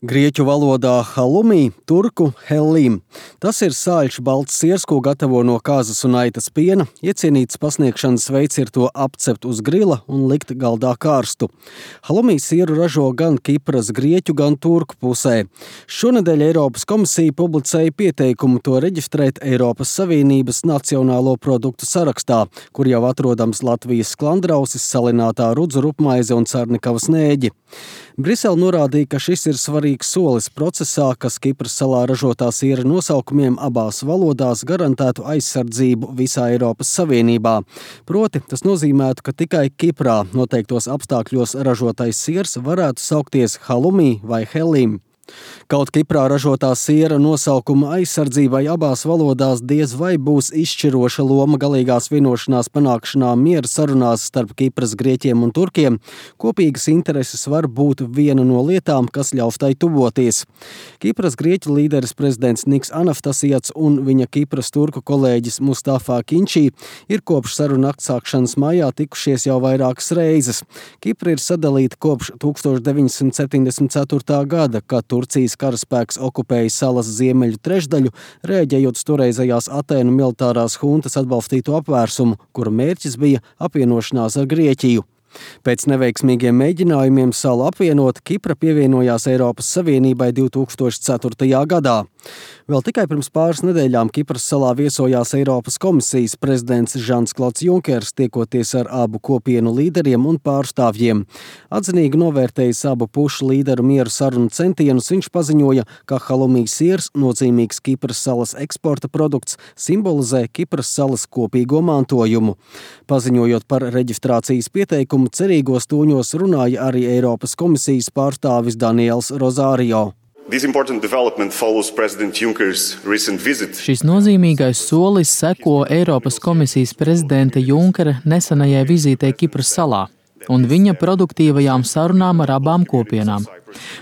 Grieķu valodā halumī, turku hellim. Tas ir sāļš balts siers, ko gatavo no kāzas un aitas piena. Iecienīts pasniegšanas veids ir to apcept uz grila un likt galdā karstu. Halumī sieru ražo gan Kipras, grieķu, gan turku pusē. Šonedēļ Eiropas komisija publicēja pieteikumu to reģistrēt Eiropas Savienības nacionālo produktu sarakstā, kur jau atrodams Latvijas sklandrausis, salinātā rudzu rupmaize un Carnikavas nēģi. Brisele norādīja, ka šis ir svarīgs solis procesā, kas Kipras salā ražotā siera nosaukumiem abās valodās garantētu aizsardzību visā Eiropas Savienībā. Proti, tas nozīmētu, ka tikai Kiprā noteiktos apstākļos ražotais siers varētu saukties halumī vai hellim. Kaut Kiprā ražotā siera nosaukuma aizsardzībai abās valodās diez vai būs izšķiroša loma galīgās vienošanās panākšanā miera sarunās starp Kipras grieķiem un turkiem, kopīgas intereses var būt viena no lietām, kas ļaus tai tuvoties. Kipras grieķu līderis prezidents Niks Anastasiats un viņa Kipras turku kolēģis Mustafa Kinčī ir kopš sarunu aktsākšanas maijā tikušies jau vairākas reizes. Kipra ir sadalīta kopš 1974. gada, kad Turcijas karaspēks okupēja salas ziemeļu trešdaļu, reaģējot uz toreizējās Atēnu militārās huntas atbalstīto apvērsumu, kura mērķis bija apvienošanās ar Grieķiju. Pēc neveiksmīgiem mēģinājumiem salu apvienot, Kipra pievienojās Eiropas Savienībai 2004. gadā. Vēl tikai pirms pāris nedēļām Kipras salā viesojās Eiropas komisijas prezidents Žans-Klods Junkers, tiekoties ar abu kopienu līderiem un pārstāvjiem. Atzinīgi novērtējis abu pušu līderu mieru sarunu centienus, viņš paziņoja, ka halumī siers, nozīmīgs Kipras salas eksporta produkts, simbolizē Kipras salas kopīgo mantojumu. Paziņojot par reģistrācijas pieteikumu, cerīgos toņos runāja arī Eiropas komisijas pārstāvis Daniels Rozārio. Šis nozīmīgais solis seko Eiropas komisijas prezidenta Junkera nesenajai vizītei Kipras salā un viņa produktīvajām sarunām ar abām kopienām.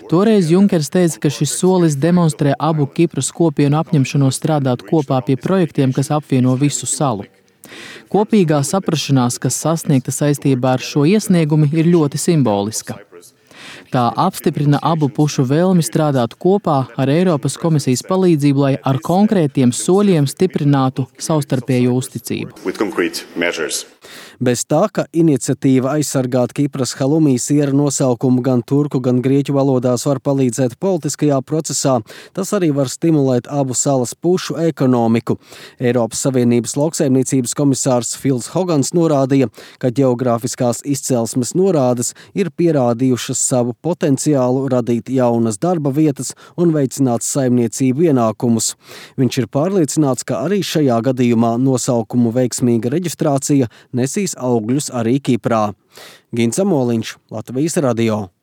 Toreiz Junkers teica, ka šis solis demonstrē abu Kipras kopienu apņemšanos strādāt kopā pie projektiem, kas apvieno visu salu. Kopīgā saprašanās, kas sasniegta saistībā ar šo iesniegumu, ir ļoti simboliska. Tā apstiprina abu pušu vēlmi strādāt kopā ar Eiropas komisijas palīdzību, lai ar konkrētiem soļiem stiprinātu savstarpējo uzticību. Bez tā, ka iniciatīva aizsargāt Kipras halumī siera nosaukumu gan turku, gan grieķu valodās var palīdzēt politiskajā procesā, tas arī var stimulēt abu salas pušu ekonomiku. Eiropas Savienības lauksaimniecības komisārs Fils Hogans norādīja, ka ģeogrāfiskās izcelsmes norādes ir pierādījušas savu potenciālu radīt jaunas darba vietas un veicināt saimniecību ienākumus. Viņš ir pārliecināts, ka arī šajā gadījumā nosaukumu veiksmīga reģistrācija nesīs augļus arī Kiprā. Gins Amoliņš, Latvijas radio.